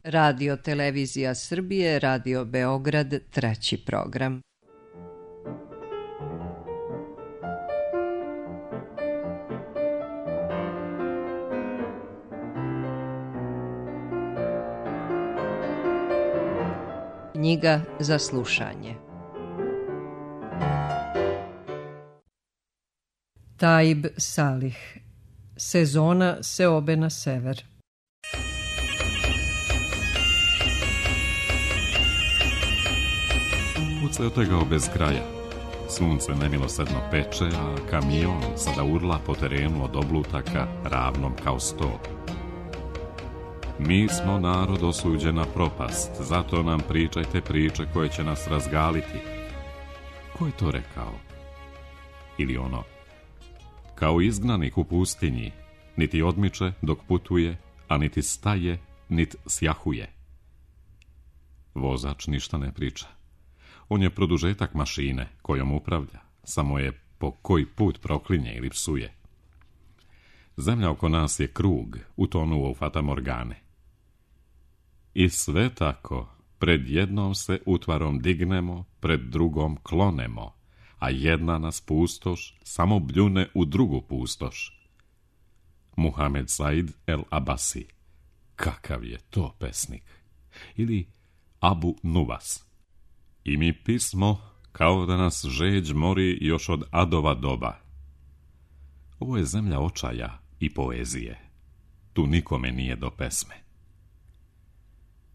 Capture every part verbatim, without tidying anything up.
Radio Televizija Srbije, Radio Beograd, treći program. Knjiga za slušanje. Taib Salih. Sezona seobe na sever. Put se otegao bez kraja. Sunce nemilosrdno peče, a kamion sada urla po terenu od oblutaka ravnom kao sto. Mi smo narod osuđen na propast, zato nam pričajte priče koje će nas razgaliti. Ko je to rekao? Ili ono: kao izgnanik u pustinji, niti odmiče dok putuje, a niti staje, niti sjahuje. Vozač ništa ne priča. On je produžetak mašine kojom upravlja, samo je po koji put proklinje ili psuje. Zemlja oko nas je krug, utonuo u fatamorgane. I sve tako, pred jednom se utvarom dignemo, pred drugom klonemo, a jedna nas pustoš samo bljune u drugu pustoš. Muhamed Said el Abasi. Kakav je to pesnik? Ili Abu Nuwas. I mi pismo kao da nas žeđ mori još od Adova doba. Ovo je zemlja očaja i poezije. Tu nikome nije do pesme.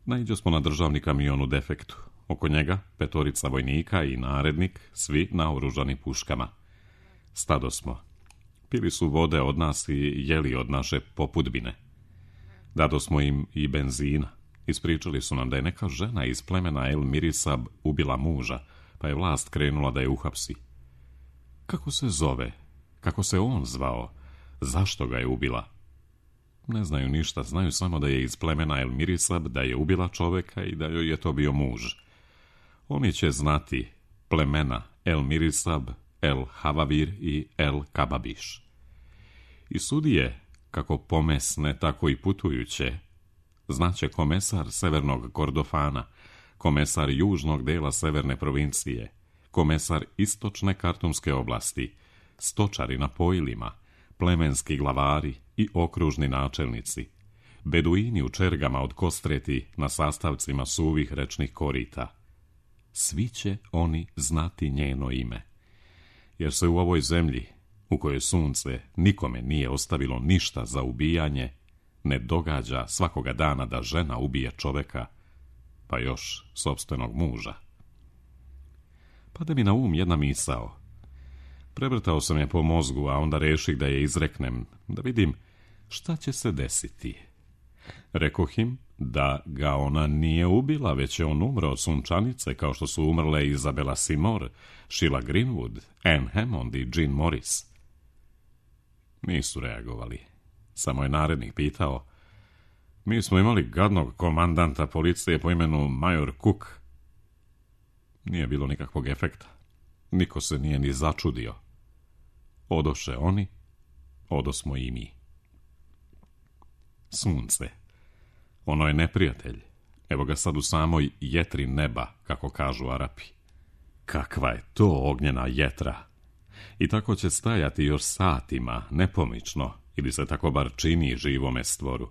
Naiđo smo na državni kamion u defektu. Oko njega petorica vojnika i narednik, svi naoružani puškama. Stado smo. Pili su vode od nas i jeli od naše popudbine. Dado smo im i benzina. Ispričali su nam da je neka žena iz plemena El Mirisab ubila muža, pa je vlast krenula da je uhapsi. Kako se zove? Kako se on zvao? Zašto ga je ubila? Ne znaju ništa, znaju samo da je iz plemena El Mirisab, da je ubila čoveka i da joj je to bio muž. Oni će znati plemena El Mirisab, El Havavir i El Kababiš. I sudije, kako pomesne, tako i putujuće, znaće komesar severnog Kordofana, komesar južnog dela severne provincije, komesar istočne Kartumske oblasti, stočari na pojilima, plemenski glavari i okružni načelnici, beduini u čergama od kostreti na sastavcima suvih rečnih korita. Svi će oni znati njeno ime, jer se u ovoj zemlji, u kojoj sunce nikome nije ostavilo ništa za ubijanje, ne događa svakoga dana da žena ubije čoveka, pa još sopstvenog muža. Pade mi na um jedna misao. Prevrtao sam je po mozgu, a onda reših da je izreknem, da vidim šta će se desiti. Rekoh im da ga ona nije ubila, već je on umro od sunčanice, kao što su umrle Izabela Seymour, Sheila Greenwood, Anne Hammond i Jean Morris. Nisu reagovali. Samo je narednik pitao: mi smo imali gadnog komandanta policije po imenu Major Cook. Nije bilo nikakvog efekta. Niko se nije ni začudio. Odoše oni, odosmo i mi. Sunce. Ono je neprijatelj. Evo ga sad u samoj jetri neba, kako kažu Arapi. Kakva je to ognjena jetra! I tako će stajati još satima, nepomično, ili se tako bar čini živome stvoru.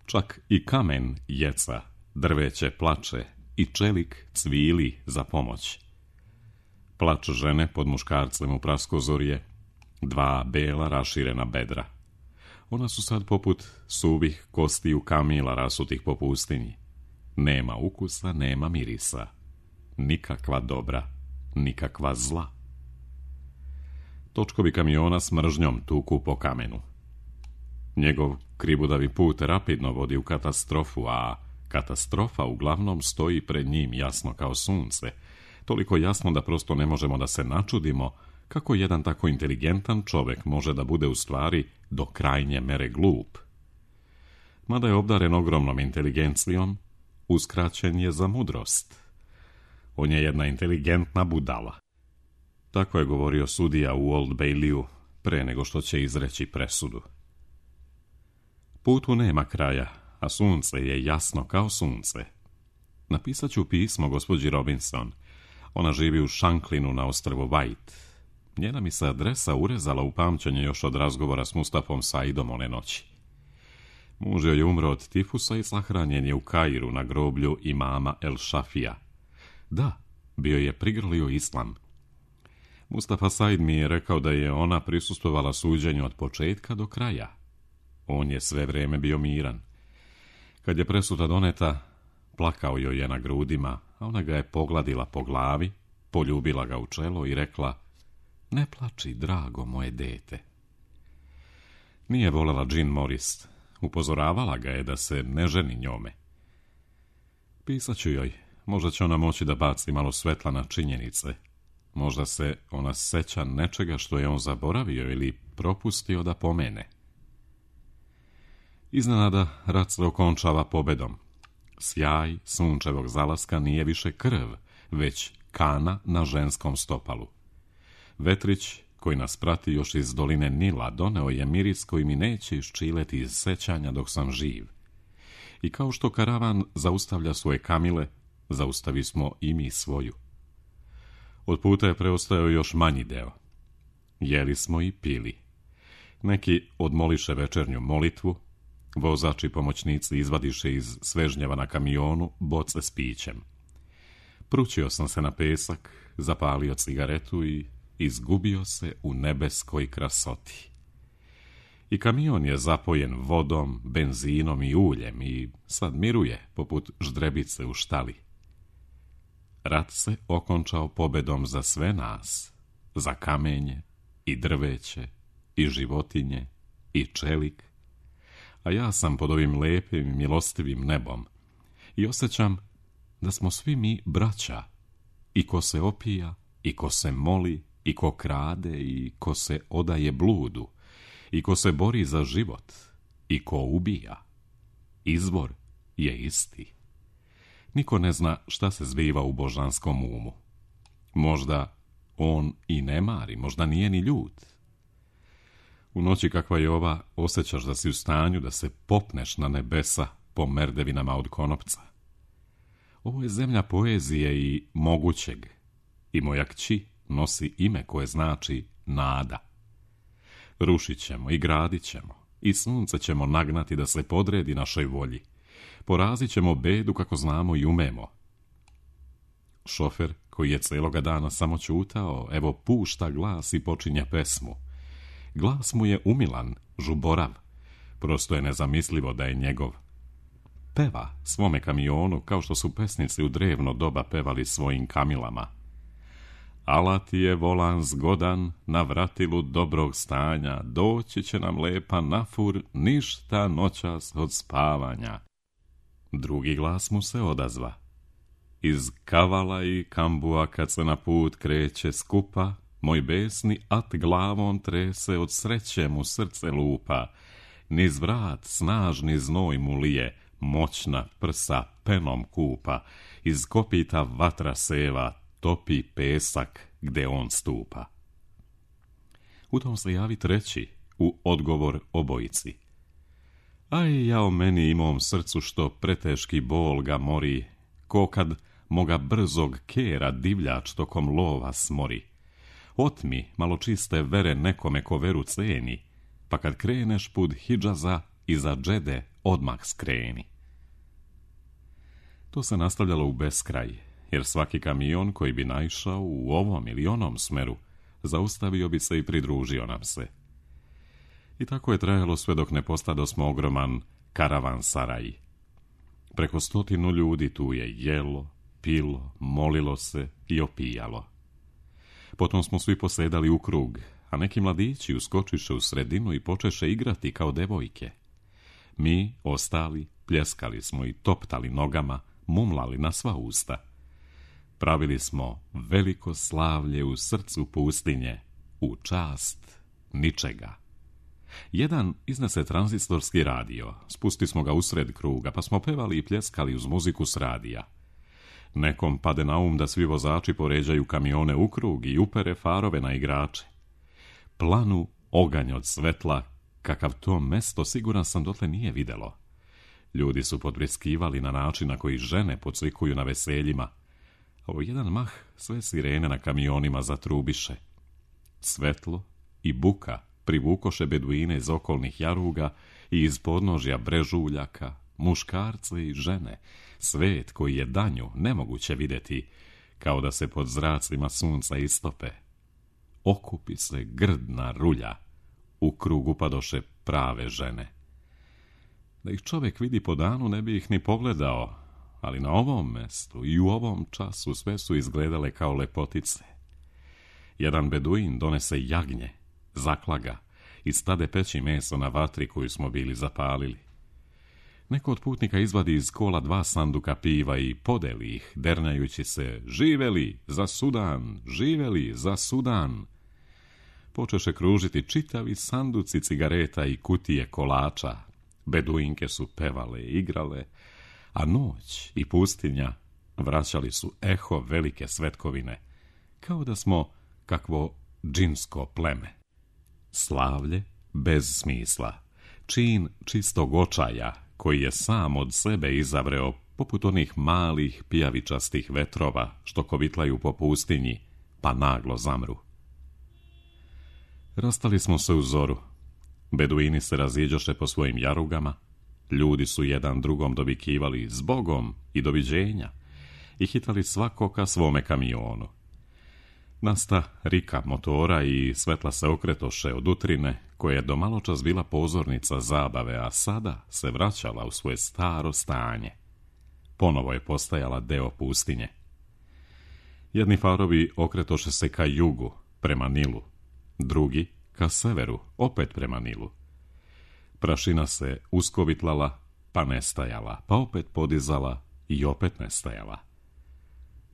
Čak i kamen jeca, drveće plače i čelik cvili za pomoć. Plač žene pod muškarcem u praskozorje, dva bela raširena bedra. Ona su sad poput suvih kostiju kamila rasutih po pustinji. Nema ukusa, nema mirisa. Nikakva dobra, nikakva zla. Točkovi kamiona s mržnjom tuku po kamenu. Njegov kribudavi put rapidno vodi u katastrofu, a katastrofa uglavnom stoji pred njim jasno kao sunce, toliko jasno da prosto ne možemo da se načudimo kako jedan tako inteligentan čovek može da bude u stvari do krajnje mere glup. Mada je obdaren ogromnom inteligencijom, uskraćen je za mudrost. On je jedna inteligentna budala. Tako je govorio sudija u Old Bayleyu pre nego što će izreći presudu. Putu nema kraja, a sunce je jasno kao sunce. Napisat ću pismo gospođi Robinson. Ona živi u Shanklinu na ostrvu White. Njena mi se adresa urezala u pamćenje još od razgovora s Mustafom Saidom one noći. Muž joj je umro od tifusa i sahranjen je u Kairu na groblju imama El Šafija. Da, bio je prigrlio islam. Mustafa Said mi je rekao da je ona prisustvovala suđenju od početka do kraja. On je sve vrijeme bio miran. Kad je presuda doneta, plakao joj je na grudima, a ona ga je pogladila po glavi, poljubila ga u čelo i rekla: ne plači, drago moje dete. Nije voljela Jean Morris, upozoravala ga je da se ne ženi njome. Pisat ću joj, možda će ona moći da baci malo svetla na činjenice. Možda se ona seća nečega što je on zaboravio ili propustio da pomene. Iznenada rat se okončava pobedom. Sjaj sunčevog zalaska nije više krv, već kana na ženskom stopalu. Vetrić, koji nas prati još iz doline Nila, doneo je miris koji mi neće iščileti iz sećanja dok sam živ. I kao što karavan zaustavlja svoje kamile, zaustavi smo i mi svoju. Od puta je preostao još manji deo. Jeli smo i pili. Neki odmoliše večernju molitvu, vozači pomoćnici izvadiše iz svežnjeva na kamionu boce s pićem. Pručio sam se na pesak, zapalio cigaretu i izgubio se u nebeskoj krasoti. I kamion je zapojen vodom, benzinom i uljem i sad miruje poput ždrebice u štali. Rat se okončao pobedom za sve nas, za kamenje i drveće i životinje i čelik, a ja sam pod ovim lepim i milostivim nebom i osjećam da smo svi mi braća, i ko se opija, i ko se moli, i ko krade, i ko se odaje bludu, i ko se bori za život, i ko ubija. Izvor je isti. Niko ne zna šta se zbiva u božanskom umu. Možda on i ne mari, možda nije ni ljut. U noći kakva je ova, osjećaš da si u stanju da se popneš na nebesa po merdevinama od konopca. Ovo je zemlja poezije i mogućeg, i moja kći nosi ime koje znači nada. Rušit ćemo i gradit ćemo, i sunce ćemo nagnati da se podredi našoj volji. Porazit ćemo bedu kako znamo i umemo. Šofer, koji je celoga dana samo čutao, evo pušta glas i počinje pesmu. Glas mu je umilan, žuborav, prosto je nezamislivo da je njegov. Peva svome kamionu kao što su pesnici u drevno doba pevali svojim kamilama. Ala ti je volan zgodan, na vratilu dobrog stanja, doći će nam lepa nafur, ništa noćas od spavanja. Drugi glas mu se odazva. Iz kavala i kambua kad se na put kreće skupa, moj besni at glavom trese, od sreće mu srce lupa. Niz vrat snažni znoj mu lije, moćna prsa penom kupa, iz kopita vatra seva, topi pesak gde on stupa. U tom se javi treći, u odgovor obojici. Aj, ja o meni i mom srcu što preteški bol ga mori, ko kad moga brzog kera divljač tokom lova smori. Otmi malo čiste vere nekome ko veru ceni, pa kad kreneš put Hidžaza, iza džede odmah skreni. To se nastavljalo u beskraj, jer svaki kamion koji bi naišao u ovom ili onom smeru, zaustavio bi se i pridružio nam se. I tako je trajalo sve dok ne postadosmo ogroman karavan saraj. Preko stotinu ljudi tu je jelo, pilo, molilo se i opijalo. Potom smo svi posedali u krug, a neki mladići uskočiše u sredinu i počeše igrati kao devojke. Mi, ostali, pljeskali smo i toptali nogama, mumlali na sva usta. Pravili smo veliko slavlje u srcu pustinje, u čast ničega. Jedan iznese tranzistorski radio, spusti smo ga usred kruga, pa smo pevali i pljeskali uz muziku s radija. Nekom pade na um da svi vozači poređaju kamione u krug i upere farove na igrače. Planu oganj od svetla, kakav to mesto siguran sam dotle nije videlo. Ljudi su podbreskivali na način na koji žene podsvikuju na veseljima, a u jedan mah sve sirene na kamionima zatrubiše. Svetlo i buka privukoše beduine iz okolnih jaruga i iz podnožja brežuljaka, muškarce i žene, svet koji je danju nemoguće vidjeti, kao da se pod zracima sunca istope. Okupi se grdna rulja, u krug upadoše prave žene. Da ih čovjek vidi po danu ne bi ih ni pogledao, ali na ovom mestu i u ovom času sve su izgledale kao lepotice. Jedan beduin donese jagnje, zaklaga i stade peći meso na vatri koju smo bili zapalili. Neko od putnika izvadi iz kola dva sanduka piva i podeli ih, dernjajući se: živeli za Sudan, živeli za Sudan. Počeše kružiti čitavi sanduci cigareta i kutije kolača. Beduinke su pevale i igrale, a noć i pustinja vraćali su eho velike svetkovine, kao da smo kakvo džinsko pleme. Slavlje bez smisla, čin čistog očaja, koji je sam od sebe izavreo poput onih malih pijavičastih vetrova što kovitlaju po pustinji, pa naglo zamru. Rastali smo se u zoru. Beduini se raziđoše po svojim jarugama, ljudi su jedan drugom dovikivali zbogom i doviđenja i hitali svako ka svome kamionu. Nasta rika motora i svetla se okretoše od utrine, koja je do maločas bila pozornica zabave, a sada se vraćala u svoje staro stanje. Ponovo je postajala deo pustinje. Jedni farovi okretoše se ka jugu, prema Nilu, drugi ka severu, opet prema Nilu. Prašina se uskovitlala, pa nestajala, pa opet podizala i opet nestajala.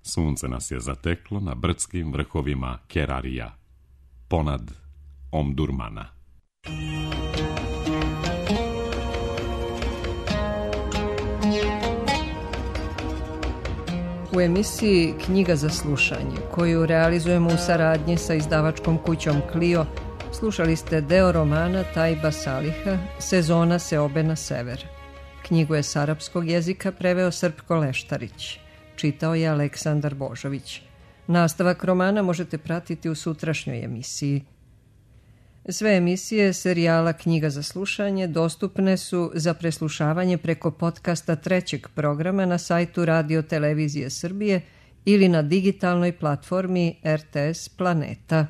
Sunce nas je zateklo na brdskim vrhovima Kerarija, ponad Omdurmana. U emisiji Knjiga za slušanje, koju realizujemo u saradnji sa izdavačkom kućom Clio, slušali ste deo romana Tajba Saliha Sezona seobe na sever. Knjigu je s arapskog jezika preveo Srpko Leštarić. Čitao je Aleksandar Božović. Nastavak romana možete pratiti u sutrašnjoj emisiji. Sve emisije serijala Knjiga za slušanje dostupne su za preslušavanje preko podcasta trećeg programa na sajtu Radio Televizije Srbije ili na digitalnoj platformi R T S Planeta.